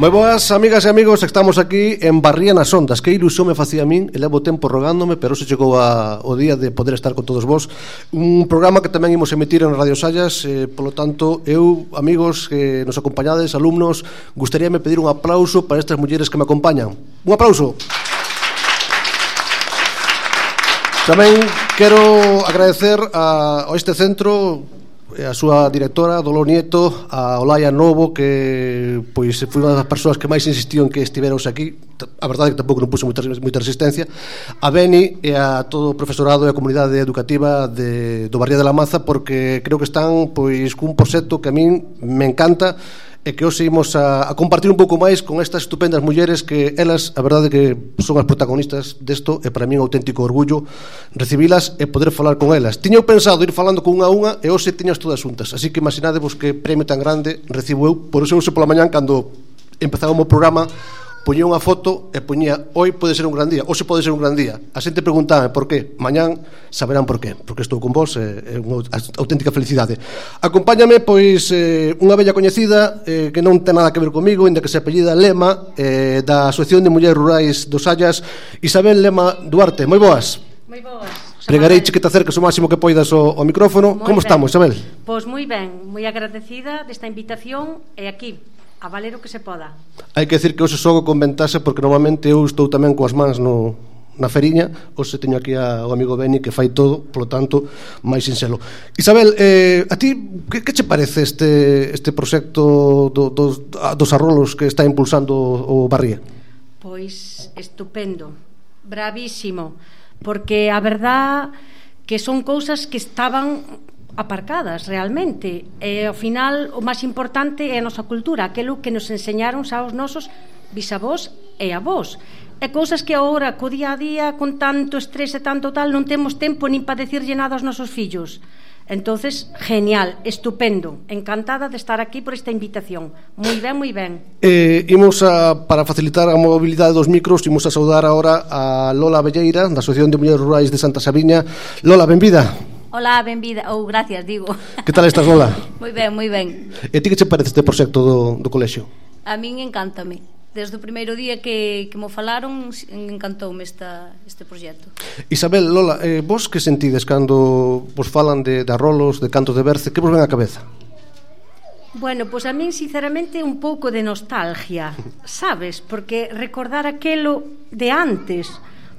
Moi boas, amigas e amigos, estamos aquí en Barría nas Ondas. Que ilusión me facía a min, e levo tempo rogándome, pero se chegou o día de poder estar con todos vos. Un programa que tamén imos emitir en Radio Sallas, polo tanto, eu, amigos que nos acompañades, alumnos, gustaríame pedir un aplauso para estas mulleres que me acompañan. Un aplauso. Tamén quero agradecer a este centro, a súa directora, Dolor Nieto, a Olaya Novo, que pois foi unha das persoas que máis insistiu en que estiveros aquí. A verdade é que tampouco non puso moita resistencia. A Beni e a todo o profesorado e a comunidade educativa do Barría de la Maza, porque creo que están pois cun proxecto que a min me encanta e que hoxe imos a compartir un pouco máis con estas estupendas mulleres que elas, a verdade que son as protagonistas desto, e para mí un auténtico orgullo recibilas e poder falar con elas. Tiño pensado ir falando con unha a unha e hoxe tiñas todas xuntas, así que imaginadevos que premio tan grande recibo eu. Por iso hoxe pola mañán, cando empezábamos o programa, poñía unha foto e poñía: hoy pode ser un gran día, hoxe pode ser un gran día. A xente preguntaba por qué, mañán saberán por qué, porque estou con vos, é unha auténtica felicidade. Acompáñame pois unha bella coñecida que non ten nada que ver comigo, ainda que se apellida Lema, da Asociación de Mulleres Rurais dos Sallas, Isabel Lema Duarte. Moi boas. Moi boas. Pregareiche que te acerques o máximo que poidas ao micrófono. Como estamos, Isabel? Pois moi ben, moi agradecida desta invitación e aquí a valer o que se poda. Hai que decir que hoxe xogo con ventaxe, porque normalmente eu estou tamén coas mans na feriña. Hoxe teño aquí ao amigo Beni que fai todo, polo tanto, máis sinxelo. Isabel, a ti que che parece este proxecto dos arrolos que está impulsando o Barría? Pois estupendo, bravísimo, porque a verdad que son cousas que estaban aparcadas realmente, e ao final o máis importante é a nosa cultura, aquilo que nos enseñaron xa os nosos bisavós e avós, e cousas que agora co día a día, con tanto estrés e tanto tal, non temos tempo nin para decirlle nada aos nosos fillos. Entonces, genial, estupendo, encantada de estar aquí por esta invitación. Moi ben, moi ben. Imos para facilitar a mobilidade dos micros, imos a saudar agora a Lola Velleira, da Asociación de Mulleres Rurais de Santa Sabiña. Lola, benvida. Hola, benvida, ou gracias, digo. Que tal estás, Lola? Moi ben, moi ben. E ti que che parece este proxecto do colexio? A min encántame. Desde o primeiro día que mo falaron, encantoume este proxecto. Isabel, Lola, vos que sentides cando vos falan de arrolos, de cantos de berce? Que vos ven á cabeza? Bueno, pois a min sinceramente un pouco de nostalgia, sabes? Porque recordar aquelo de antes,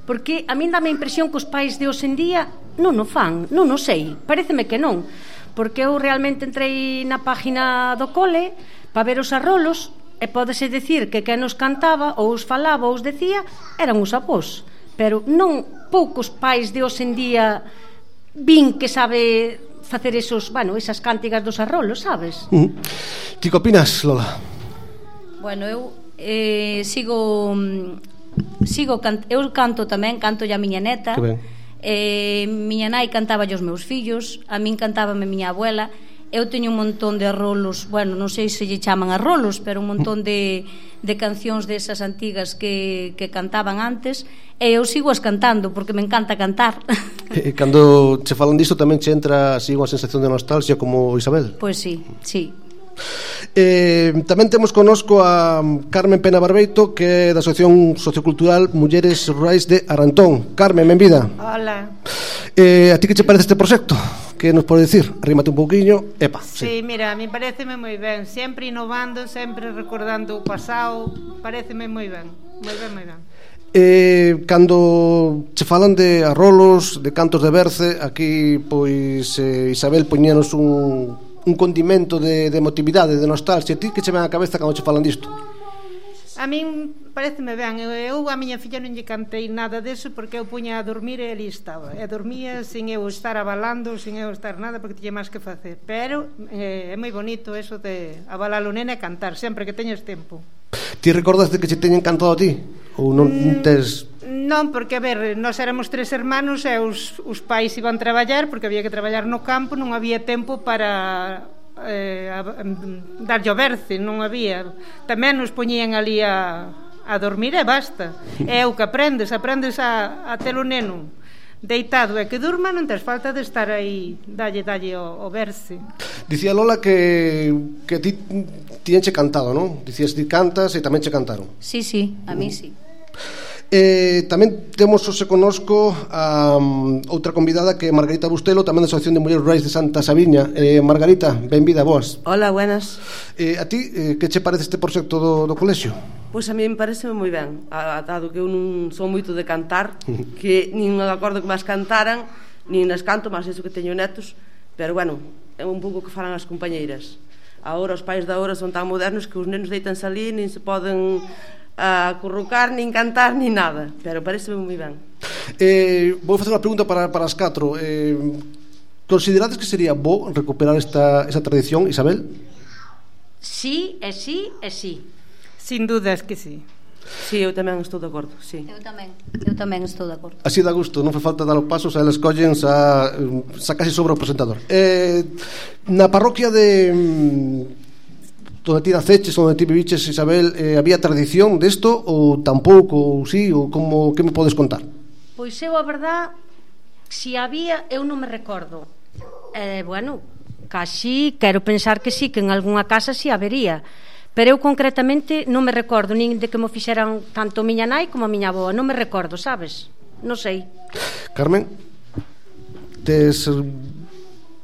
porque a min dame a impresión que os pais de hoxe en día non o fan, non o sei, paréceme que non, porque eu realmente entrei na página do cole para ver os arrolos e pódese decir que quen os cantaba ou os falaba ou os decía eran os avós, pero non poucos pais de hoxe en día vin que sabe facer esas cántigas dos arrolos, sabes? Ti que opinas, Lola? Bueno, eu eu canto tamén, canto a miña neta. Que ben. Miña nai cantaba aos meus fillos, a min cantábame miña abuela. Eu teño un montón de arrolos, bueno, non sei se lle chaman arrolos, pero un montón de cancións desas antigas que cantaban antes, e eu sigo as cantando porque me encanta cantar. E cando che falan disto tamén che entra así unha sensación de nostalgia como Isabel? Pois sí, sí. Tamén temos connosco a Carmen Pena Barbeito, que é da Asociación Sociocultural Mulleres Rurais de Arantón. Carmen, benvida. Hola. A ti que che parece este proxecto? Que nos pode dicir? Arrímate un pouquiño. Epa, sí, mira, a mí pareceme moi ben. Sempre innovando, sempre recordando o pasado. Pareceme moi ben. Moi ben, moi ben. Cando che falan de arrolos, de cantos de berce, aquí pois Isabel poñíanos un condimento de emotividade, de nostalgia. Ti que che ven á cabeza cando che falan disto? A min pareceme ben. Eu a miña filla non lle cantei nada deso porque eu puña a dormir e ali estaba. E dormía sin eu estar abalando, sin eu estar nada, porque tiña máis que facer. Pero é moi bonito eso de abalar o nene e cantar sempre que teñes tempo. Ti recordas de que che teñen cantado a ti? Ou non tes... Non, porque, a ver, nós éramos 3 hermanos e os pais iban traballar porque había que traballar no campo, non había tempo para darlle o berce, non había. Tamén nos poñían ali a dormir e basta. É o que aprendes a ter o neno deitado e que durma non tes falta de estar aí dalle ao verse. Dicía Lola que ti tiñenche cantado, non? Dicías ti cantas e tamén che cantaron. Sí, a mí sí. Tamén temos hoxe connosco a outra convidada que é Margarita Bustelo, tamén da Asociación de Mulleres Rurais de Santa Sabiña. Margarita, benvida, boas. Hola, buenas. A ti, que che parece este proxecto do colexio? Pois a mí me parece moi ben, dado que eu non son moito de cantar, que nin me acordo que máis cantaran, nin nas canto, máis iso que teño netos, pero bueno, é un pouco que falan as compañeiras. Agora os pais da hora son tan modernos que os nenos deitanse ali, nin se poden acurrucar, nin cantar, nin nada, pero pareceme moi ben. Vou facer unha pregunta para as catro. Considerades que sería bo recuperar esa tradición, Isabel? Sí, e sí, e sí. Sin dudas que sí. Sí, eu tamén estou de acordo, sí. Eu tamén estou de acordo. Así dá gusto, non fai falta dar os pasos, eles collen xa casi sobre o presentador. Na parroquia de onde ti naceches, onde ti viviches, Isabel, había tradición desto ou tampouco, ou sí, ou como, que me podes contar? Pois eu, a verdad, si había, eu non me recordo. Bueno, casi quero pensar que sí, que en algunha casa sí habería, pero eu concretamente non me recordo nin de que me fixeran tanto a miña nai como a miña avoa, non me recordo, sabes? Non sei. Carmen, tes...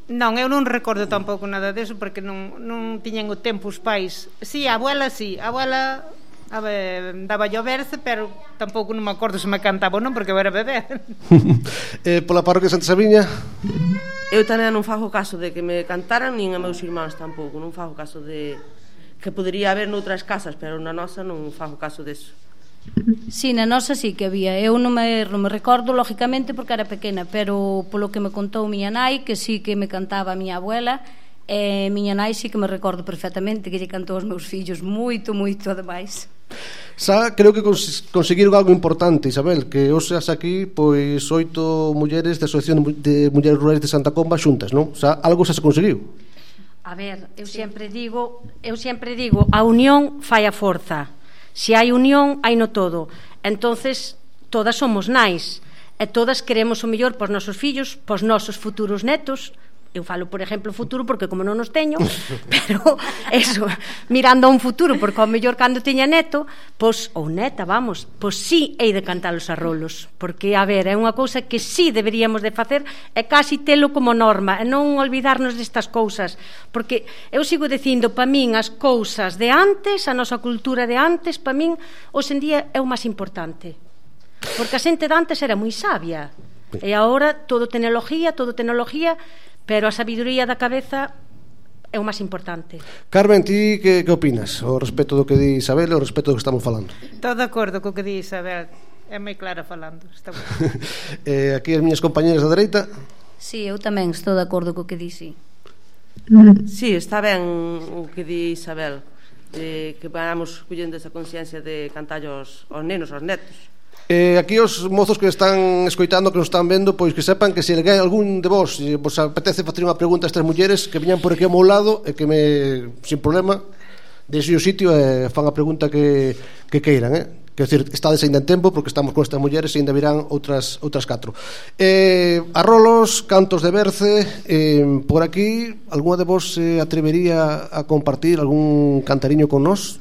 Non, eu non recordo tampouco nada deso porque non tiñan o tempo os pais. Si, a abuela daba yo verse, pero tampouco non me acordo se me cantaba ou non porque eu era bebé. Pola parroquia de Santa Sabiña? Eu tamén non fago caso de que me cantaran, nin a meus irmáns tampouco, non fago caso de que podería haber noutras casas, pero na nosa non fago caso deso. Sí, na nosa sí que había. Eu non me recordo, lógicamente, porque era pequena, pero polo que me contou miña nai, que sí que me cantaba a miña abuela, miña nai sí que me recordo perfectamente que lle cantou aos meus fillos moito, ademais. Xa, creo que conseguiron algo importante, Isabel, que hoxe aquí, pois, 8 mulleres da Asociación de Mulleres Rurais de Santa Comba xuntas, non? Xa, algo xa se conseguiu. A ver, eu sempre digo, a unión fai a forza. Se hai unión, hai no todo. Entonces, todas somos nais e todas queremos o mellor pos nosos fillos, pos nosos futuros netos. Eu falo, por exemplo, futuro porque como non os teño, pero eso, mirando a un futuro, porque ao mellor cando teña neto, pois, ou neta, vamos, pois sí hei de cantar os arrolos, porque, a ver, é unha cousa que sí deberíamos de facer e casi telo como norma, e non olvidarnos destas cousas, porque eu sigo dicindo, pa min, as cousas de antes, a nosa cultura de antes, pa min, hoxe en día é o máis importante, porque a xente de antes era moi sabia, e agora todo tecnología, pero a sabiduría da cabeza é o máis importante. Carmen, ti que opinas ao respecto do que di Isabel e ao respecto do que estamos falando? Todo de acordo co que di Isabel, é moi clara falando. Aquí as miñas compañeras da dereita. Sí, eu tamén estou de acordo co que di, sí. Sí, está ben o que di Isabel, que vamos collendo esa consciencia de cantar aos nenos, aos netos. Aquí os mozos que están escoitando, que nos están vendo, pois que sepan que se algún de vos apetece facer unha pregunta a estas mulleres, que viñan por aquí ao meu lado e que sin problema deixe o sitio e fan a pregunta que queiran, Quer dizer, estades ainda en tempo porque estamos con estas mulleres e ainda virán outras 4. Arrolos, cantos de berce, por aquí algunha de vos se atrevería a compartir algún cantariño con nós?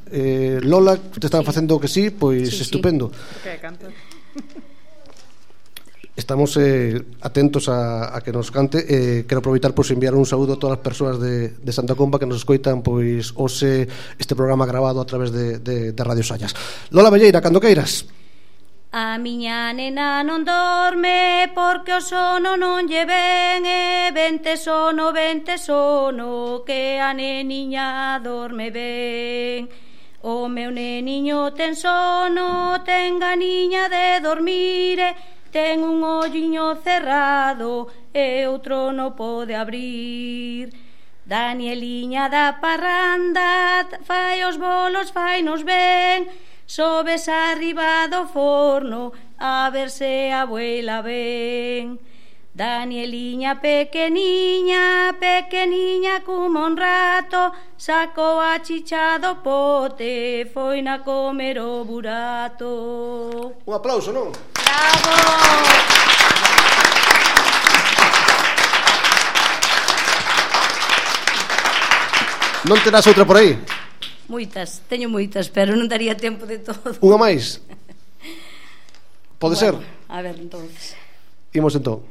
Lola, te están facendo que sí, pois sí, estupendo. Que canto. Estamos atentos a que nos cante. Quero aproveitar por enviar un saúdo a todas as persoas de Santa Comba que nos escoitan pois hoxe este programa grabado a través de Radio Sallas. Lola Velleira, cando queiras. A miña nena non dorme porque o sono non lle ven e vente sono, que a neniña dorme ben. O meu neniño ten sono, ten ganiña de dormire, ten un olliño cerrado e outro non pode abrir. Danieliña da parranda fai os bolos, fai nos ben, sobes arriba do forno a ver se a abuela ven. Danieliña pequeniña como un rato, sacou a chicha do pote, foi na comer o burato. Un aplauso, non? Bravo! Non terás outra por aí? Moitas, teño moitas, pero non daría tempo de todo. Unha máis? Pode ser? A ver, entonces. Imos entón.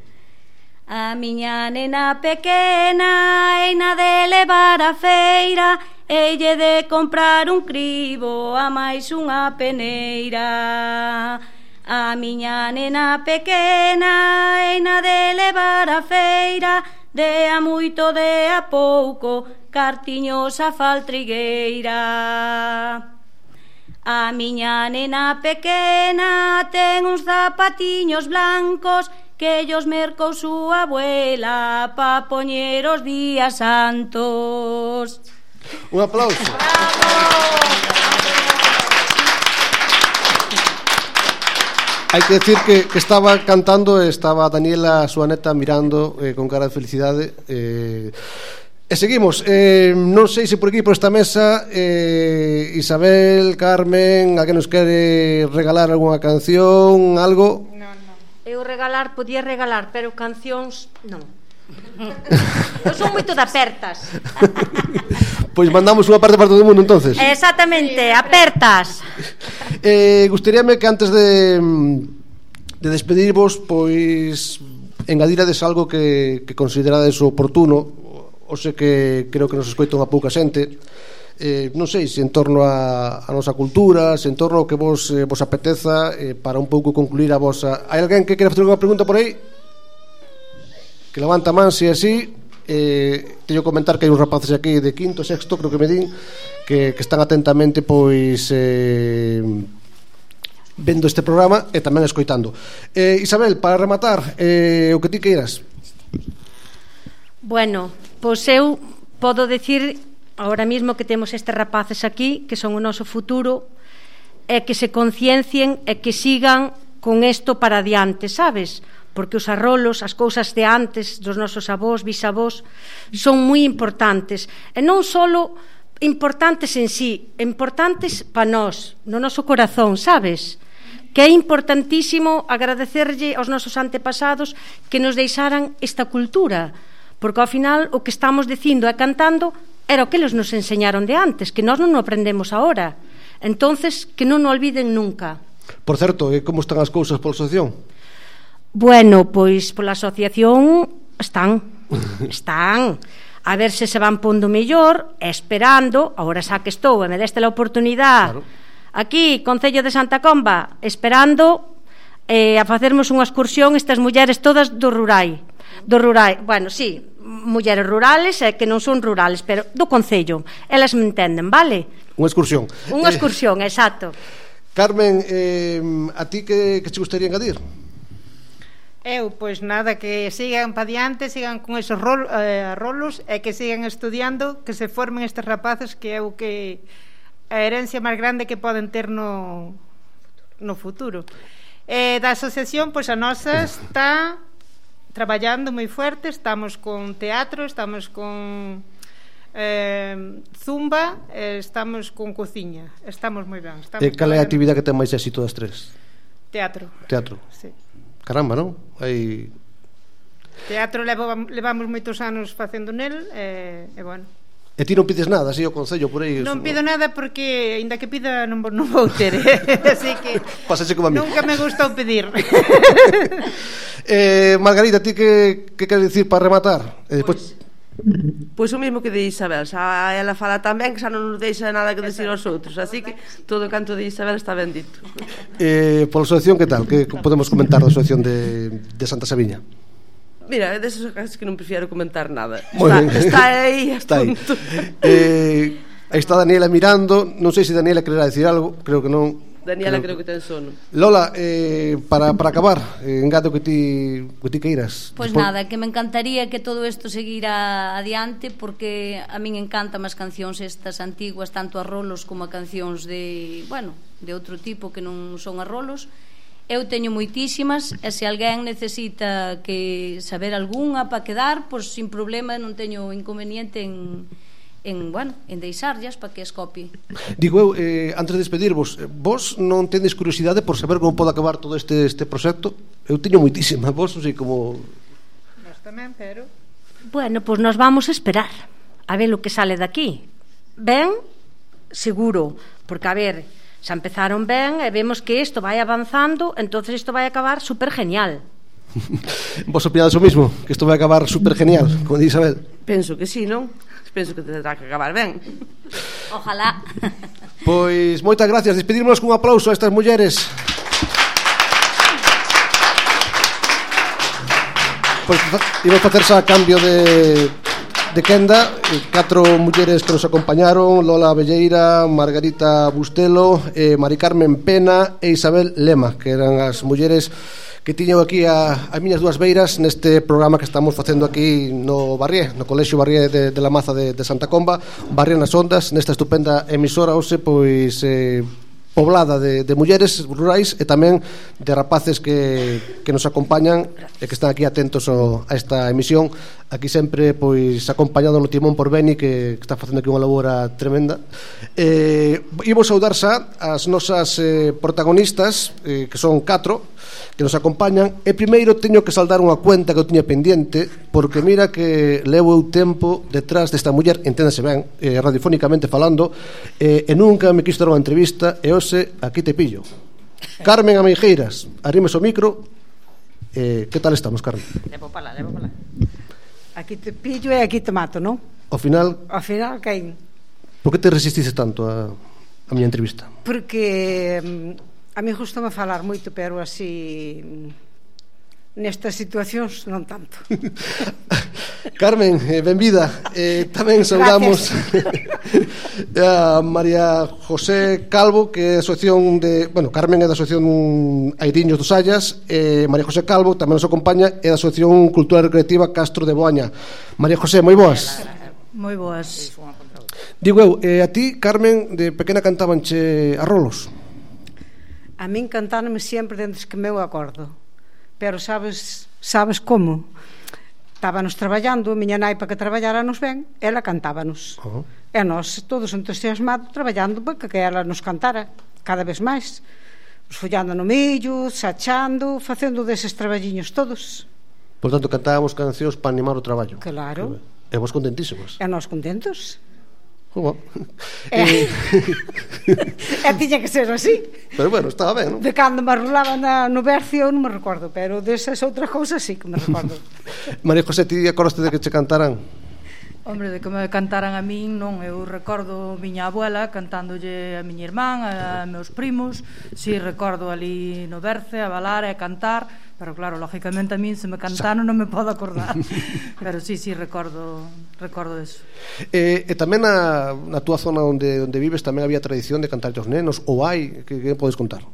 A miña nena pequena eina de levar a feira, eille de comprar un cribo a máis unha peneira. A miña nena pequena eina de levar a feira, de a moito de a pouco, cartiños a faltrigueira. A miña nena pequena ten uns zapatiños blancos que ellos mercou súa abuela pa poñer os días santos. Un aplauso. Hai que decir que estaba cantando e estaba Daniela, a súa neta, mirando con cara de felicidade. E seguimos, non sei se por aquí, por esta mesa, Isabel, Carmen, a que nos quere regalar algunha canción, algo? Eu podía regalar, pero cancións non. Eu son moito de apertas. Pois mandamos unha parte para todo o mundo, entonces. Exactamente, apertas. Gustaríame que antes de despedirvos, pois engadirades algo que considerades oportuno. O sei que creo que nos escoita unha pouca xente. Non sei se en torno a nosa cultura, se en torno ao que vos apeteza, para un pouco concluir a vosa. Hai alguén que quere facer unha pregunta por aí? Que levanta man, se é así. Teño que comentar que hai uns rapaces aquí de quinto, sexto, creo que me din, que están atentamente pois vendo este programa e tamén escoitando. Isabel, para rematar, o que ti queiras. Bueno, pois eu podo decir ahora mismo que temos estes rapaces aquí que son o noso futuro e que se conciencien e que sigan con isto para adiante, sabes? Porque os arrolos, as cousas de antes dos nosos avós, bisavós, son moi importantes e non só importantes en sí, importantes para nós, no noso corazón, sabes? Que é importantísimo agradecerlle aos nosos antepasados que nos deixaran esta cultura, porque ao final o que estamos dicindo e cantando era o que eles nos enseñaron de antes, que nós non o aprendemos ahora. Entonces, que non o olviden nunca. Por certo, como están as cousas pola asociación? Bueno, pois pola asociación están. A ver se van pondo mellor, esperando, agora xa que estou e me deste a oportunidade, aquí, Concello de Santa Comba, esperando a facermos unha excursión estas mulleres todas do rural, bueno, sí, mulleres rurales e que non son rurales, pero do Concello, elas me entenden, vale? Unha excursión. Unha excursión, exacto. Carmen, a ti que te gustaría engadir? Eu, pois nada, que sigan pa diante, sigan con esos rolos e que sigan estudiando, que se formen estes rapaces, que é o que a herencia máis grande que poden ter no futuro. Da asociación, pois a nosa está traballando moi fuerte, estamos con teatro, estamos con zumba, estamos con cociña, estamos moi ben. Cal é a actividade que ten máis éxito das tres? Teatro. Teatro? Sí. Caramba, non? Hai... Teatro levamos moitos anos facendo nel e bueno. E ti non pides nada, así, ao Concello, por aí? Non pido nada porque, ainda que pida, non vou ter, así que pásase como a mí. Nunca me gustou pedir. Margarita, ti que queres dicir para rematar? Pois o mesmo que de Isabel, xa ela fala tamén que xa non nos deixa nada que decir aos outros, así que todo o canto de Isabel está ben dito. Pola asociación, que tal? Que podemos comentar da asociación de Santa Sabiña? Mira, é deses casos que non prefiero comentar nada. Está aí, está aí. Aí está Daniela mirando. Non sei se Daniela quererá decir algo. Creo que non. Daniela creo que ten sono. Lola, para acabar, engado que ti queiras. Pois nada, que me encantaría que todo isto seguira adiante, porque a min encantan as cancións estas antiguas, tanto a rolos como a cancións de outro tipo que non son a rolos. Eu teño moitísimas e se alguén necesita que saber algunha para quedar, pois sin problema, non teño inconveniente en deixarllas para que as copie. Digo eu, antes de despedirvos, vos non tendes curiosidade por saber como pode acabar todo este proxecto? Eu teño moitísimas, vos non sei como... Nós tamén, pero... Bueno, pois nos vamos a esperar a ver o que sale daqui. ben, seguro, porque, a ver, xa empezaron ben e vemos que isto vai avanzando, entonces isto vai acabar super genial. Vos opinades o mismo? Que isto vai acabar super genial, como di Isabel? Penso que sí, non? Penso que tendrá que acabar ben. Ojalá. Pois moitas gracias, despedímonos cun aplauso a estas mulleres. Pois imos facerse a cambio de quenda, 4 mulleres que nos acompañaron: Lola Velleira, Margarita Bustelo, Mari Carmen Pena e Isabel Lema, que eran as mulleres que tiño aquí a miñas dúas beiras neste programa que estamos facendo aquí no Barrié, no Colexio Barrié de la Maza de Santa Comba, Barrié nas Ondas, nesta estupenda emisora hoxe, pois poblada de mulleres rurais e tamén de rapaces que nos acompañan e que están aquí atentos a esta emisión. Aquí sempre pois acompañado no timón por Beni, que está facendo aquí unha labora tremenda. Imos saudar xa as nosas protagonistas, que son 4 que nos acompañan, e primeiro teño que saldar unha cuenta que eu tiña pendiente, porque mira que levo eu tempo detrás desta muller, enténdase ben, radiofónicamente falando, e nunca me quiso dar unha entrevista, e hoxe aquí te pillo. Carmen Ameijeiras, arrimes o micro. Que tal estamos, Carmen? Levo para lá. Aquí te pillo e aquí te mato, non? Ao final, caín. por que te resististe tanto a miña entrevista? Porque a mí gustame falar moito, pero así nestas situacións non tanto. Carmen, benvida. Tamén saudamos a María José Calvo, que é a asociación de... Bueno, Carmen é da asociación Airiños dos Sallas, María José Calvo tamén nos acompaña, é da asociación Cultural Recreativa Castro de Boaña. María José, moi boas. Moi boas. Digo eu, a ti, Carmen, de pequena cantabanche a rolos? A min cantáronme sempre dentro que meu acordo. Pero sabes como? Estábamos traballando, a miña nai para que traballáramos ben, ela cantábanos. E nós, todos entusiasmados, traballando para que ela nos cantara cada vez máis. Follando no millo, sachando, facendo deses traballiños todos. Por tanto, cantábamos cancións para animar o traballo. Claro. E vos contentísimos. E nós contentos. E tiña que ser así. Pero bueno, estaba ben, non? De cando me arrolaba no Bercio non me recordo, pero desas outras cousas sí que me recordo. María José, ti acordaste de que che cantaran? Hombre, de que me cantaran a min, non. Eu recordo miña abuela cantándolle a miña irmán, a meus primos. Si, recordo ali no Berce, a balar e a cantar. Pero claro, lógicamente a min se me cantaron non me podo acordar. Pero sí, recordo eso. E tamén na túa zona onde vives tamén había tradición de cantar aos nenos, ou hai, que podes contar?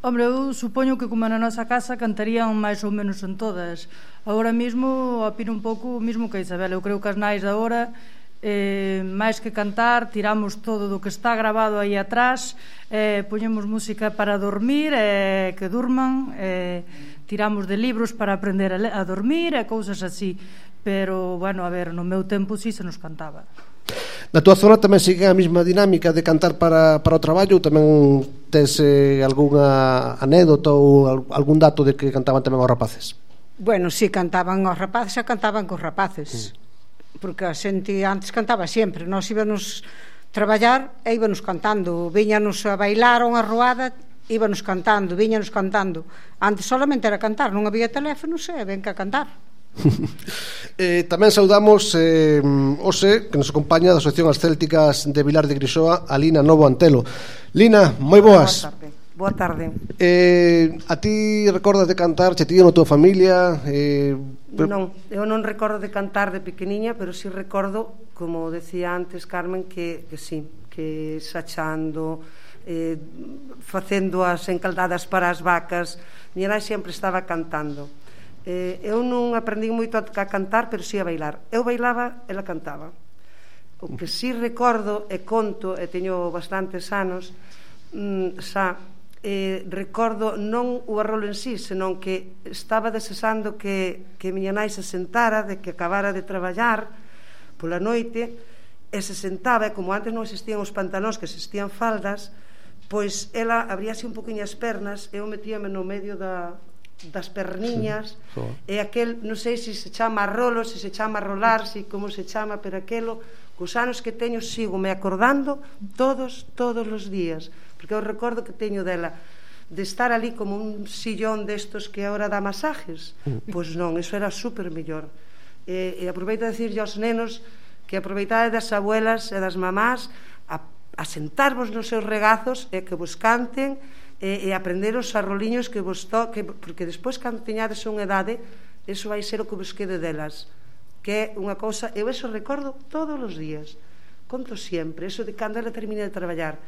Hombre, eu supoño que como na nosa casa cantarían máis ou menos en todas. Agora mesmo opino un pouco mesmo que Isabel. Eu creo que as nais de agora máis que cantar tiramos todo do que está grabado aí atrás, poñemos música para dormir, que durman, tiramos de libros para aprender a dormir e cousas así. Pero, bueno, a ver, no meu tempo sí se nos cantaba. Na túa zona tamén sigue a mesma dinámica de cantar para o traballo, ou tamén tes algunha anécdota ou algún dato de que cantaban tamén aos rapaces? Bueno, sí, cantaban aos rapaces e cantaban cos rapaces. Porque a xente antes cantaba sempre. Nós íbamos traballar e íbamos cantando. Viñanos a bailar unha roada, íbamos cantando, viñanos cantando. Antes solamente era cantar, non había teléfonos e ven que a cantar. Tamén saudamos hoxe que nos acompaña da Asociación As Célticas de Vilar de Grixoa, a Lina Novo Antelo. Lina, moi boas. Boa tarde. A ti recordas de cantar, che tío na tua familia? Non, eu non recordo de cantar de pequeniña, pero sí recordo, como decía antes Carmen, que sí, que sachando, facendo as encaldadas para as vacas. Miña nai sempre estaba cantando. Eu non aprendín moito a cantar, pero sí a bailar. Eu bailaba, ela cantaba. O que sí recordo e conto, e teño bastantes anos, recordo non o arrolo en sí, senón que estaba desexando que miña nai se sentara, de que acabara de traballar pola noite, e se sentaba, e como antes non existían os pantalóns, que existían faldas, pois ela abríase un poquinho as pernas, eu metíame no medio das perniñas, e aquel, non sei se se chama rolo, se se chama rolar, se como se chama, pero aquelo cos anos que teño sigo me acordando todos os días, porque eu recordo que teño dela de estar ali como un sillón destos que agora dá masajes. Pois non, iso era super mellor. E aproveito a dicirlle aos nenos que aproveitade das abuelas e das mamás a sentarvos nos seus regazos e que vos canten e aprender os arroliños que vos toque, porque despois cando teñades unha edade, iso vai ser o que vos quede delas, que é unha cousa, eu eso recordo todos os días, conto sempre, eso de cando ela termine de traballar,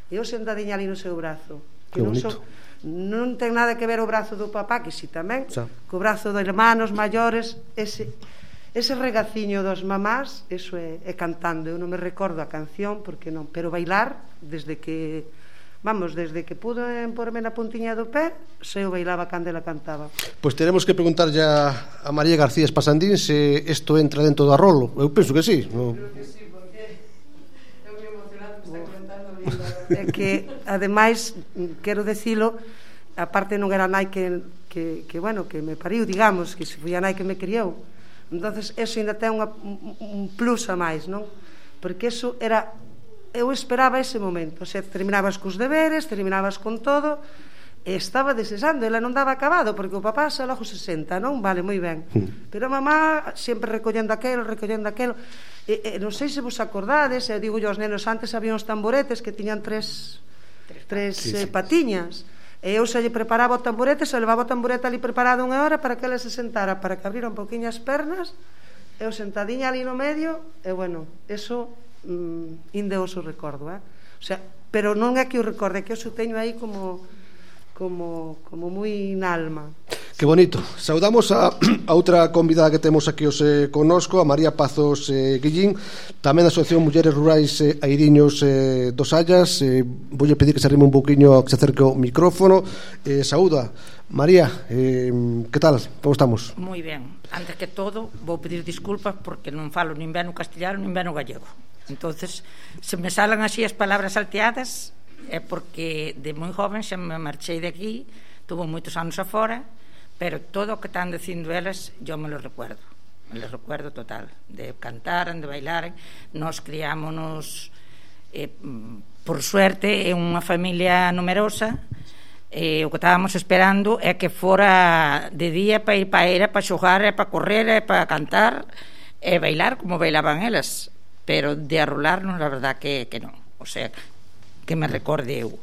eu sentadiña ali no seu brazo, que non ten nada que ver o brazo do papá, que si tamén, co brazo dos hermanos maiores, ese regaciño dos mamás, eso é cantando. Eu non me recordo a canción, porque non, pero bailar, desde que pudo porme na puntiña do pé, se eu bailaba cando ela cantaba. Pois teremos que preguntar ya a María García Espasandín se isto entra dentro do Arrolo. Eu penso que sí, non? Creo que sí, porque eu me emocionado que está comentando lindo. É que, ademais, quero dicilo, a parte non era a nai que me pariu, digamos, que se foi a nai que me criou. Entonces eso ainda ten un plus a máis, non? Porque eso era, eu esperaba ese momento, o sea, terminabas cos deberes, terminabas con todo, e estaba desexando, ela non daba acabado, porque o papá xa logo se senta, non? Vale, moi ben. Pero a mamá sempre recollendo aquelo, e non sei se vos acordades, eu digo aos nenos, antes había uns tamboretes que tiñan tres patiñas, e eu xa lle preparaba o tamborete, xa levaba o tamborete ali preparado unha hora para que ela se sentara, para que abrira un poquinho as pernas, eu sentadiña ali no medio, e bueno, eso indeoso recordo, o sea, pero non é que o recorde, é que eu teño aí como moi na alma. Que bonito. Saudamos a outra convidada que temos aquí hoxe connosco, a María Pazos Guillín, tamén da Asociación Mulleres Rurais Airiños dos Hallas. Voulle pedir que se arrime un pouquiño, que se acerque o micrófono. Saúda, María, que tal? Como estamos? Moi ben. Antes que todo, vou pedir disculpas porque non falo nin ben o castellano nin ben o gallego. Entonces, se me salan así as palabras salteadas, é porque de moi joven xa me marchei de aquí, tuvo moitos anos afora, pero todo o que están dicindo elas yo me lo recuerdo total, de cantaran, de bailaran. Nos criámonos por suerte en unha familia numerosa, o que estábamos esperando é que fora de día para ir para era, para xogar, para correr, para cantar e bailar como bailaban elas, pero de arrolarnos la verdad que non, o sea, que me recorde eu.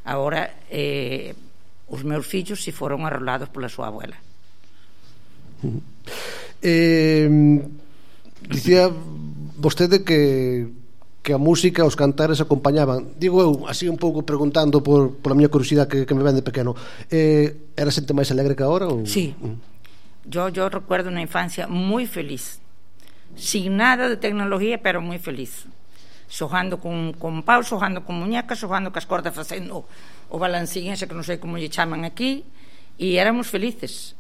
Agora os meus fillos si foron arrolados pola súa abuela. Dicía vostede que a música, os cantares acompañaban. Digo eu, así un pouco preguntando pola miña curiosidade que me ven de pequeno, era xente máis alegre que agora? Ou? Sí, yo recuerdo unha infancia moi feliz, sin nada de tecnología, pero moi feliz, xogando con pau, xogando con muñecas, xogando cas cordas, facendo o balancín ese que non sei como lle chaman aquí, e éramos felices.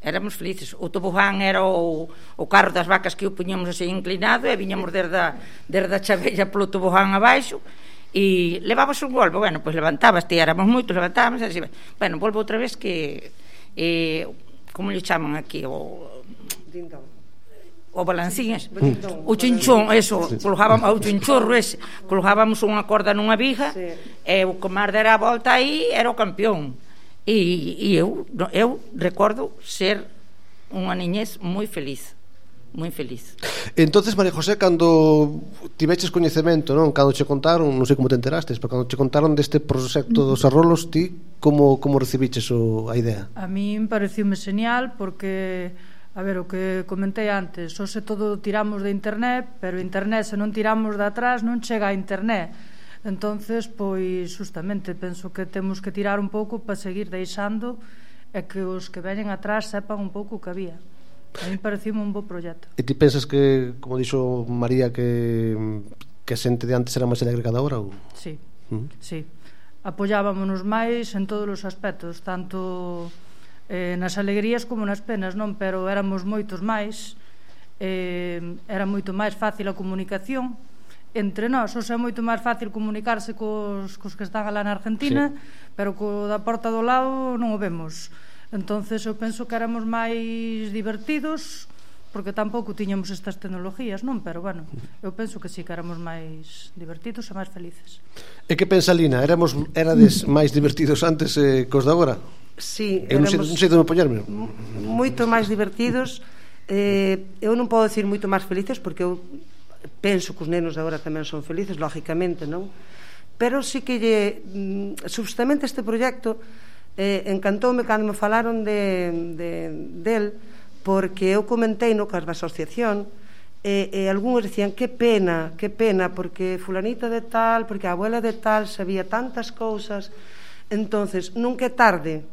O tobogán era o carro das vacas que o puñamos así inclinado e viñamos desde a chavella polo tobogán abaixo e levabas un golpe, bueno, pois levantabas, ti éramos moitos, levantábamos e así, bueno, volvo outra vez que como lle chaman aquí o balancín ese, o chinchón, eso, colocábamos o chinchorro ese, colocábamos unha corda nunha viga e o que máis dera a volta aí era o campeón. E eu recordo ser unha niñez moi feliz. Entonces, María José, cando tiveches coñecemento, non? Cando che contaron, non sei como te enterastes, pero cando che contaron deste proxecto dos arrolos, ti como recibiches a idea? A min pareciume señal porque, a ver, o que comentei antes, hoxe todo tiramos de internet, pero internet, se non tiramos de atrás, non chega a internet. Entonces, pois, justamente, penso que temos que tirar un pouco para seguir deixando e que os que veñen atrás sepan un pouco o que había. A mí parecime un bo proxecto. E ti pensas que, como dixo María, que a xente de antes era máis alegre cada hora? Ou? Sí, sí. Apoyábamonos máis en todos os aspectos, tanto nas alegrías como nas penas, non? Pero éramos moitos máis, era moito máis fácil a comunicación entre nós. O sea, é moito máis fácil comunicarse cos que están alá na Argentina, pero co da porta do lado non o vemos. Entonces eu penso que éramos máis divertidos porque tampouco tiñamos estas tecnologías, non? Pero, bueno, eu penso que sí, que éramos máis divertidos e máis felices. E que pensa, Lina? Erades máis divertidos antes cos de agora? Sí, eu non sei de me poñerme. Moito máis divertidos. Eu non podo decir moito máis felices, porque eu penso que os nenos de agora tamén son felices, lógicamente, non? Pero sí que justamente este proxecto encantoume cando me falaron del, porque eu comentei no cas da asociación, e algúns decían que pena, porque fulanita de tal, porque a abuela de tal sabía tantas cousas. Entonces, nunca é tarde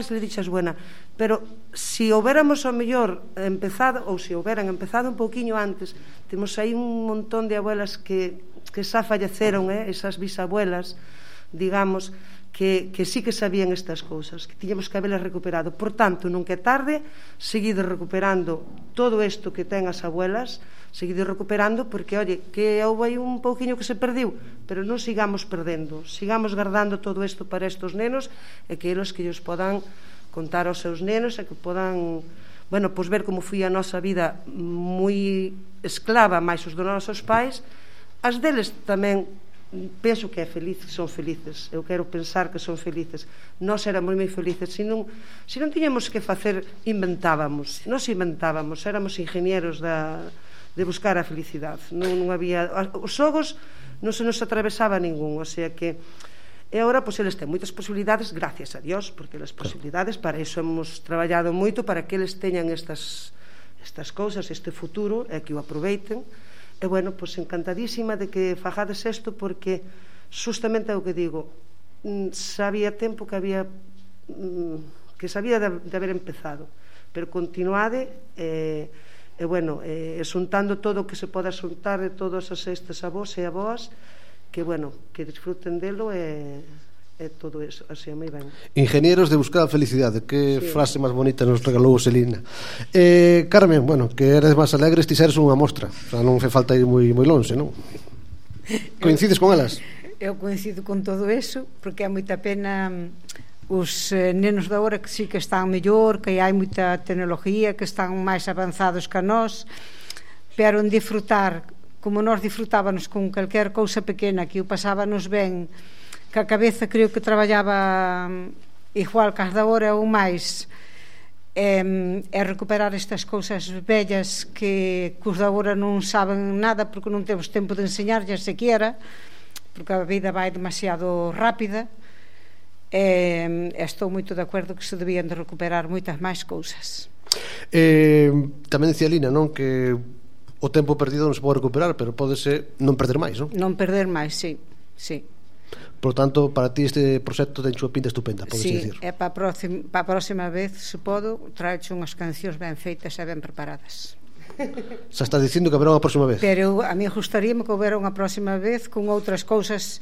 se le dixas buena, pero si houbéramos ao mellor empezado, ou se houberan empezado un pouquiño antes, temos aí un montón de abuelas que xa falleceron, esas bisabuelas, digamos, que sí que sabían estas cousas, que tiñamos que habelas recuperado. Por tanto, nunca é tarde, seguido recuperando todo isto que ten as abuelas, seguido recuperando, porque, oye, que houve aí un pouquiño que se perdiu, pero non sigamos perdendo, sigamos guardando todo isto para estos nenos, e que eles que ellos podan contar aos seus nenos, e que podan, bueno, pois ver como foi a nosa vida moi esclava, máis os dos nosos pais, as deles tamén penso que son felices. Eu quero pensar que son felices. Nós éramos moi felices. Se non tiñamos que facer, inventábamos. Éramos ingenieros de buscar a felicidade. Non había... Os xogos non se nos atravesaba ningún. O sea que... E agora, pois, eles têm moitas posibilidades, gracias a Dios, porque as posibilidades, para iso hemos traballado moito, para que eles teñan estas cousas, este futuro, e que o aproveiten. E, bueno, pois encantadísima de que fagades isto, porque justamente é o que digo, sabía tempo que había que sabía de haber empezado, pero continuade e bueno, xuntando todo o que se poda xuntar de todos estes avós e avós, que, bueno, que disfruten delo e todo eso, así moi ben. Ingenieros de buscar a felicidade, que frase máis bonita nos regalou Selina. Carmen, bueno, que eres máis alegre, ti seres unha mostra, o sea, non fe falta ir moi lonxe, non? Coincides con elas? Eu coincido con todo eso, porque é moita pena os nenos de agora que sí que están mellor, que hai moita tecnología, que están máis avanzados que nós, pero en disfrutar como nós disfrutábamos con calquer cousa pequena, que o pasábanos ben, que a cabeza creo que traballaba igual que as da hora ou máis, é recuperar estas cousas bellas que os da hora non saben nada, porque non temos tempo de enseñarlles sequera, porque a vida vai demasiado rápida. Estou moito de acordo que se debían de recuperar moitas máis cousas. Tamén decía Lina, non, que o tempo perdido non se pode recuperar, pero pódese non perder máis, non? Non perder máis, sí. Por tanto, para ti este proxecto ten unha pinta estupenda, podes dicir. Sí, para a próxima vez, se podo, traeche unhas cancións ben feitas e ben preparadas. Xa estás dicindo que haberá unha próxima vez. Pero a mí gustaríame que houbera unha próxima vez con outras cousas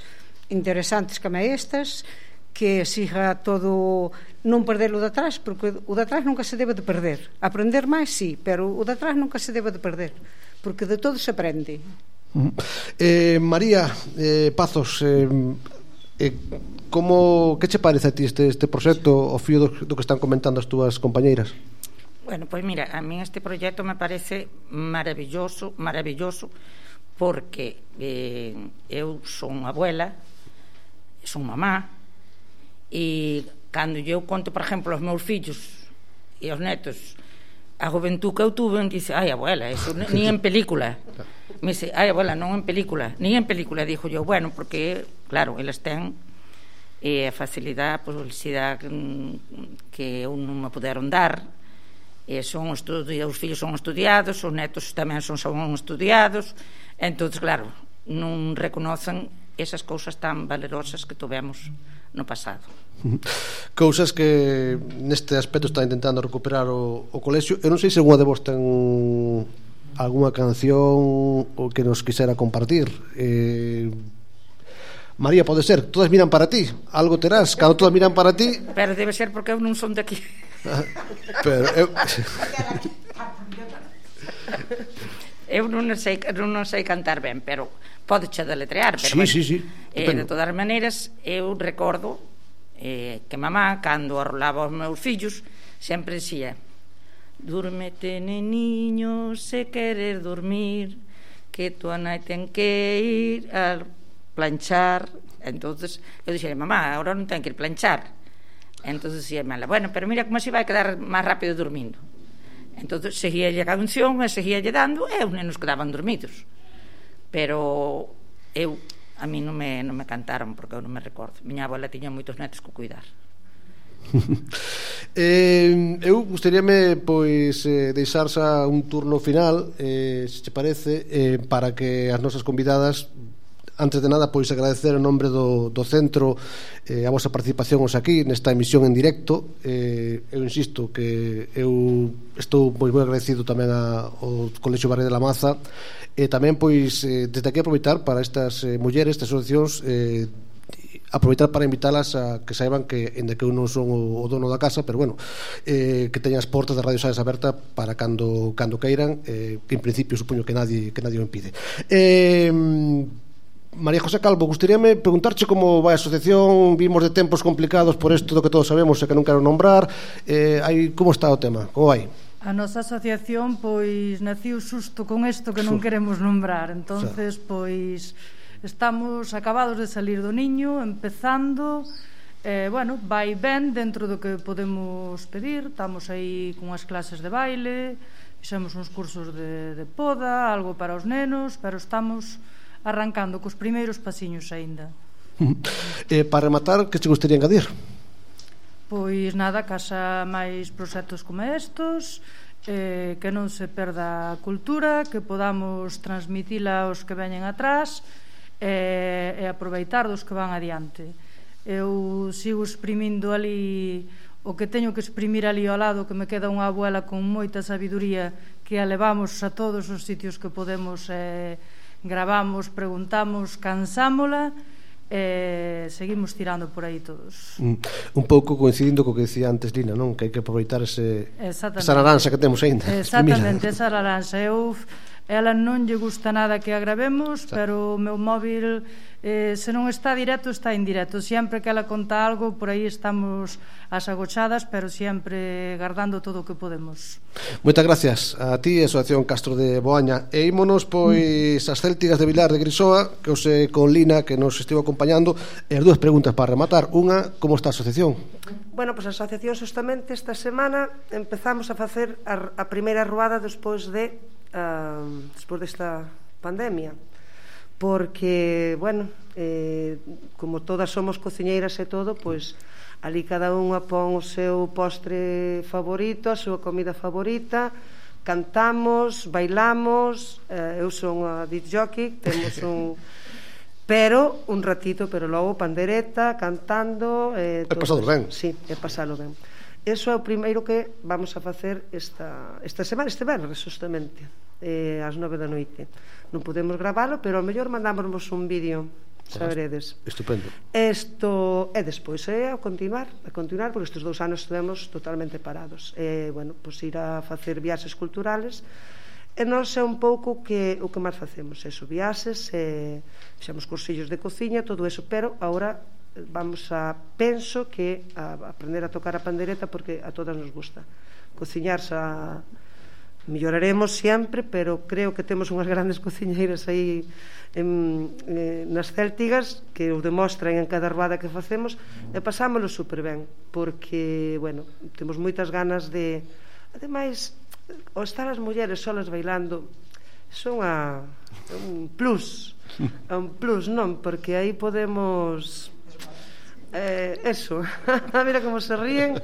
interesantes que estas, que siga todo, non perder o de atrás, porque o de atrás nunca se debe de perder. Aprender máis, sí, pero o de atrás nunca se debe de perder, porque de todo se aprende. María Pazos, que che parece a ti este proxecto ao fío do que están comentando as túas compañeiras? Bueno, pois mira, a mí este proxecto me parece maravilloso, porque eu son abuela, son mamá, e cando eu conto, por exemplo, aos meus fillos e aos netos a juventud que eu tuve, dice, ai, abuela, eso ni en película. Me dice, ai, abuela, non en película, ni en película, dixo yo, bueno, porque, claro, eles ten a facilidade, a publicidade que eu non me puderon dar, os fillos son estudiados, os netos tamén son estudiados, entón, claro, non reconocen esas cousas tan valerosas que tivemos no pasado. Cousas que neste aspecto está intentando recuperar o colexio. Eu non sei se unha de vos ten algunha canción o que nos quisera compartir. María, pode ser, todas miran para ti, algo terás, cando todas miran para ti. Pero debe ser porque eu non son de aquí. Pero eu non sei cantar ben, pero podeche deletrear, pero sí. De todas as maneiras eu recordo que mamá, cando arrolaba os meus fillos, sempre dicía, Dúrmete, neniño, se querer dormir, que tua nai ten que ir a planchar. Entonces eu dixei, mamá, agora non ten que ir planchar. Entonces dixei, mala, bueno, pero mira como se vai quedar máis rápido dormindo. Entonces seguíalle a canción e seguíalle dando e os nenos quedaban dormidos. Pero a mí non me cantaron porque eu non me recordo. Miña abuela tiña moitos netos que cuidar. Eu gustaríame pois deixar xa un turno final, se te parece, para que as nosas convidadas, antes de nada, pois agradecer en nombre do centro a vosa participación hoxe aquí nesta emisión en directo. Eu insisto que eu estou moi agradecido tamén ao Colexio Barrio de la Maza, e tamén pois desde aquí aproveitar para estas mulleres, estas asociacións, aproveitar para invitarlas a que saiban que, en que eu non son o dono da casa, pero bueno, que teñan as portas da Radio Sales aberta para cando queiran, que en principio supoño que nadie o impide. María José Calvo, gustaríame preguntarche como vai a asociación. Vimos de tempos complicados por isto do que todos sabemos e que non quero nombrar. Como está o tema? Como vai? A nosa asociación pois naciu xusto con isto que non queremos nombrar. Entonces, pois estamos acabados de salir do niño, empezando, bueno, vai ben dentro do que podemos pedir. Estamos aí con as clases de baile, fixemos uns cursos de poda, algo para os nenos, pero estamos arrancando cos primeiros pasiños aínda. Para rematar, que te gustaría engadir? Pois nada, casa máis proxectos como estos, que non se perda a cultura, que podamos transmitila aos que veñen atrás, e aproveitar dos que van adiante. Eu sigo exprimindo ali o que teño que exprimir ali ao lado, que me queda unha abuela con moita sabiduría, que a levamos a todos os sitios que podemos, gravamos, preguntamos, cansámola, seguimos tirando por aí todos. Un pouco coincidindo co que decía antes Lina, non? Que hai que aproveitar esa naranxa que temos aínda. Exactamente, esa naranxa. Ela non lle gusta nada que a gravemos, pero o meu móvil, se non está directo, está indirecto. Sempre que ela conta algo, por aí estamos as agochadas, pero sempre guardando todo o que podemos. Moitas gracias a ti, a Asociación Castro de Boaña. E ímonos, pois, as Céltigas de Vilar de Grisoa, que os con Lina, que nos estivo acompañando. E as dúas preguntas para rematar. Unha, como está a asociación? Bueno, pois a asociación justamente esta semana empezamos a facer a primeira ruada despois desta pandemia, porque, bueno, como todas somos cociñeiras e todo, pois ali cada unha pon o seu postre favorito, a súa comida favorita, cantamos, bailamos, eu son a disc jockey, temos un ratito, pero logo pandereta, cantando, é pasalo ben. Sí, é pasalo ben. Eso é o primeiro que vamos a facer esta semana, este venres, justamente, ás 9 da noite. Non podemos gravalo, pero ao mellor mandámosvos un vídeo, saberedes. Estupendo. Isto é despois, a continuar, porque estes 2 anos estivemos totalmente parados. Bueno, pois ir a facer viaxes culturales, e nós é un pouco o que máis facemos, eso, viaxes, fixemos cursillos de cociña, todo eso, pero agora vamos penso que a aprender a tocar a pandereta, porque a todas nos gusta cociñar. Melloraremos sempre, pero creo que temos unhas grandes cociñeiras aí nas Céltigas que o demostran en cada ruada que facemos, e pasámoslo super ben, porque, bueno, temos moitas ganas de, ademais, ao estar as mulleres solas bailando, son un plus, non? Porque aí podemos... eso, mira como se ríen.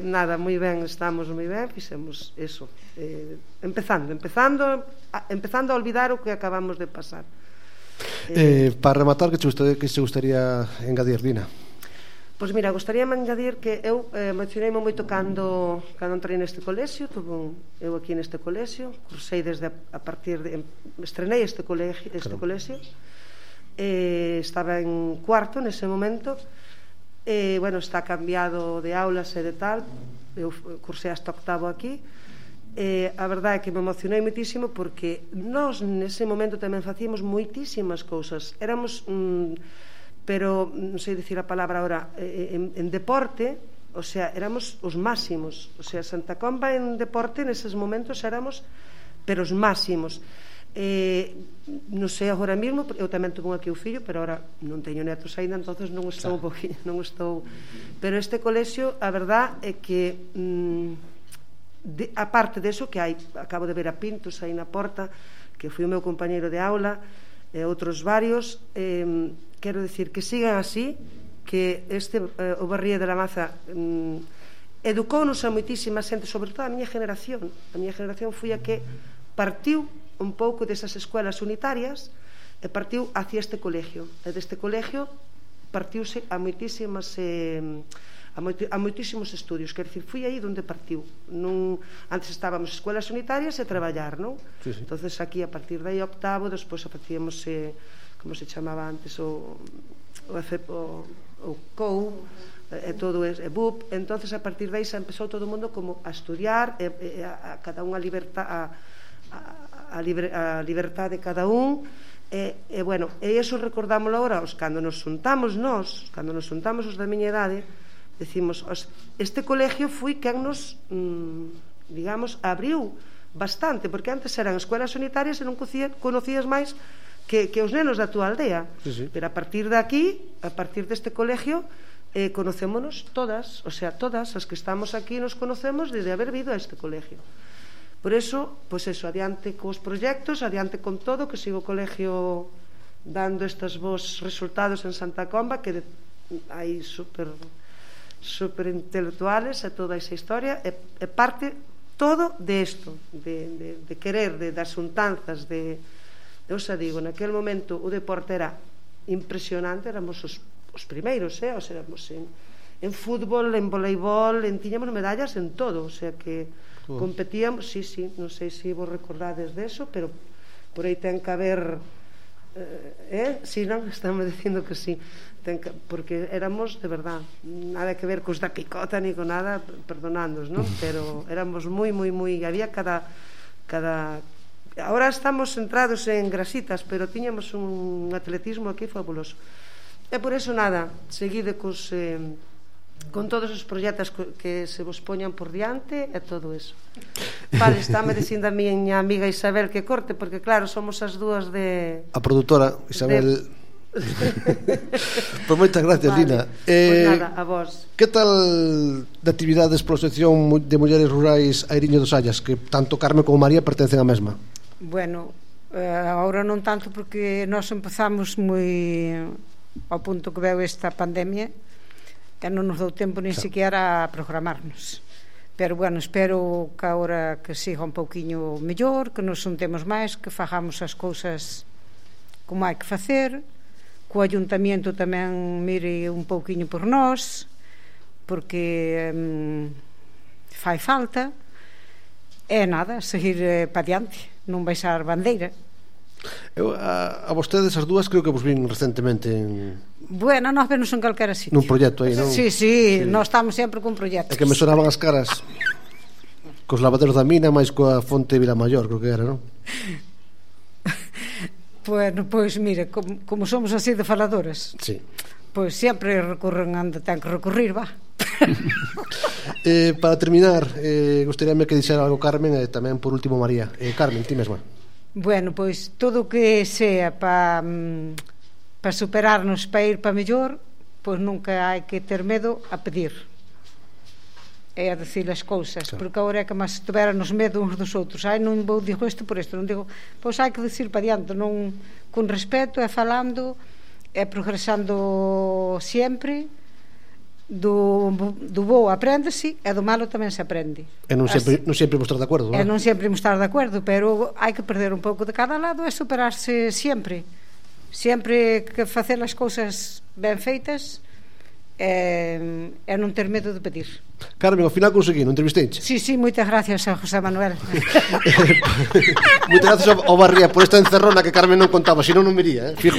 Nada, moi ben, estamos moi ben, fixemos eso, empezando a olvidar o que acabamos de pasar. Para rematar, que se gustaría engadir, Dina? Pois mira, gostaríame engadir que eu mencionei moito cando entrei neste colexio. Eu aquí neste colexio cursei desde a partir de estrenei este colexio. Estaba en cuarto nese momento, bueno, está cambiado de aulas e de tal. Eu cursei hasta octavo aquí. A verdade é que me emocionei moitísimo, porque nós nese momento tamén facíamos moitísimas cousas. Éramos, pero non sei dicir a palabra agora, en deporte o sea, éramos os máximos, o sea, Santa Comba en deporte neses momentos éramos pero os máximos. Non sei agora mesmo, eu tamén tuve aquí o fillo, pero agora non teño netos aínda, entonces non estou pero este colexio, a verdad é que a parte deso que hai, acabo de ver a Pintos aí na porta, que foi o meu compañeiro de aula, e outros varios, quero dicir que sigan así, que o Barría de la Maza educounos a moitísima xente, sobre todo a miña generación foi a que partiu un pouco desas escuelas unitarias e partiu hacia este colegio, e deste colegio partiuse a moitísimos estudios, quer dicir, foi aí onde partiu. Antes estábamos escuelas unitarias e traballar, non? Sí. Entonces aquí a partir de aí octavo, despois facíamos como se chamaba antes o COU e todo e BUP, entonces a partir de aí se empezou todo o mundo como a estudiar, a cada un a libertad de cada un, e bueno, e iso recordámoslo agora cando nos juntamos os da miña idade, decimos, este colegio foi quen nos digamos, abriu bastante, porque antes eran escuelas unitarias e non conocías máis que os nenos da túa aldea, pero a partir de aquí, a partir deste colegio, conocémonos todas, o sea, todas as que estamos aquí nos conocemos desde haber vido a este colegio. Por eso, pois eso, adiante cos proxectos, adiante con todo, que siga o colegio dando estes bons resultados en Santa Comba, que hai super intelectuales e toda esa historia, e parte todo de isto, de querer, das xuntanzas, eu xa digo, naquele momento o deporte era impresionante, éramos os primeiros, o sea, éramos en fútbol, en voleibol, tiñamos medallas en todo, o sea que competíamos, sí, non sei se vos recordades deso, pero por aí ten que haber si non, estamos dicindo que sí, porque éramos de verdad, nada que ver cos da picota ni con nada, perdonándonos, non? Pero éramos moi, había cada ahora estamos centrados en grasitas, pero tiñamos un atletismo aquí fabuloso, e por eso nada, seguide con todos os proxectos que se vos poñan por diante e todo eso. Vale, estáme dicindo a miña amiga Isabel que corte, porque claro, somos as dúas de... A produtora Isabel... Pois moitas gracias, vale. Lina. Pois nada, a vos. Que tal de actividades pola sección de mulleres rurais Airiño dos Ayas, que tanto Carmen como María pertencen á mesma? Bueno, agora non tanto, porque nós empezamos moi ao punto que veu esta pandemia, que non nos dou tempo nin siquiera a programarnos. Pero bueno, espero que agora que siga un pouquiño mellor, que nos juntemos máis, que fagamos as cousas como hai que facer, que o Ayuntamiento tamén mire un pouquiño por nós, porque fai falta, e nada, seguir pa diante, non baixar bandeira. Eu a vostedes as dúas creo que vos vin recentemente en... Bueno, nós vemos en calquera sitio. Nun proxecto aí, non? Sí, nós estamos sempre con proxectos. É que me sonaban as caras cos lavaderos da mina máis coa fonte de Vilamayor, creo que era, non? Bueno, pois mire, como somos así de faladoras, sí, pois sempre recorren onde ten que recurrir, va. Para terminar, gostaríame que dixera algo Carmen e tamén por último María. Carmen, ti mesma. Bueno, pois todo o que sea para superarnos, para ir para mellor, pois nunca hai que ter medo a pedir e a decir as cousas, claro. Porque agora é que máis tuvéranos medo uns dos outros. Non vou digo isto por isto, non digo, pois hai que decir para diante, non, con respeto, e falando e progresando sempre. Do bo aprendese e do malo tamén se aprende, e non sempre mostrar de acordo, non? E non sempre mostrar de acordo, pero hai que perder un pouco de cada lado e superarse sempre que facer as cousas ben feitas e non ter medo de pedir. Carmen, ao final conseguí, non entrevistei? Sí, moitas gracias a José Manuel. Moitas gracias ao Barría por esta encerrona que Carmen non contaba, senón non me iría, fijo.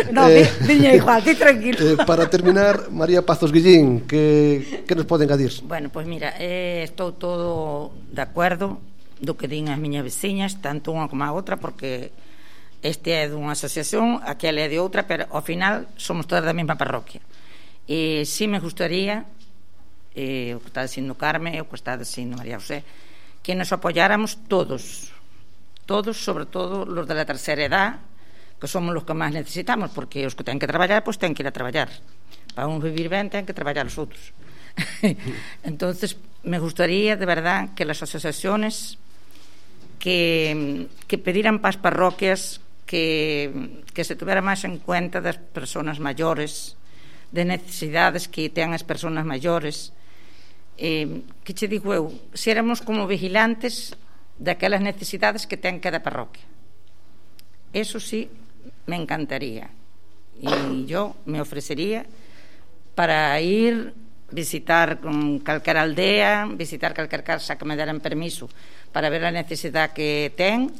Non, viña igual, ti tranquilo. Para terminar, María Pazos Guillín, que nos pode engadir? Bueno, pois mira, estou todo de acordo do que din as miñas veciñas, tanto unha como a outra, porque este é dunha asociación, aquela é de outra, pero ao final somos todas da mesma parroquia. E si me gustaría o que está dicindo Carme, o que está dicindo María José, que nos apoyáramos todos, sobre todo los de la tercera edad, que somos los que máis necesitamos, porque os que ten que traballar, pois ten que ir a traballar. Para uns vivir ben, ten que traballar os outros. Entonces, me gustaría, de verdad, que las asociaciones que pediran para as parroquias que se tuviera máis en cuenta das persoas maiores, de necesidades que ten as persoas maiores. Que che digo eu, se éramos como vigilantes daquelas necesidades que ten cada parroquia. Eso sí, me encantaría. Y yo me ofrecería para ir visitar calquera aldea, visitar calquera casa que me deran permiso para ver a necesidade que ten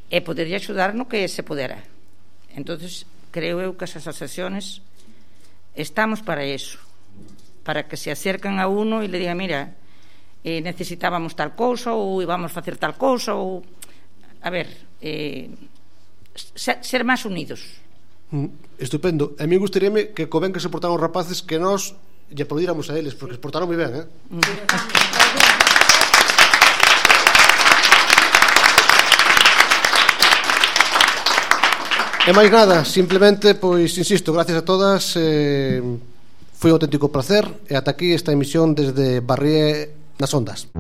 e podería axudar no que se pudera. Entonces, creo eu que as asociaciones estamos para eso, para que se acercan a uno e le digan, mira, necesitábamos tal cousa ou íbamos a facer tal cousa ou, a ver, ser máis unidos. Estupendo. A mí gustaríame que co ben que se portaron os rapaces que nós lle aplaudíramos a eles, porque se portaron moi ben, E máis nada, simplemente, pois, insisto, gracias a todas, foi un auténtico placer, e ata aquí esta emisión desde Barrié nas Ondas.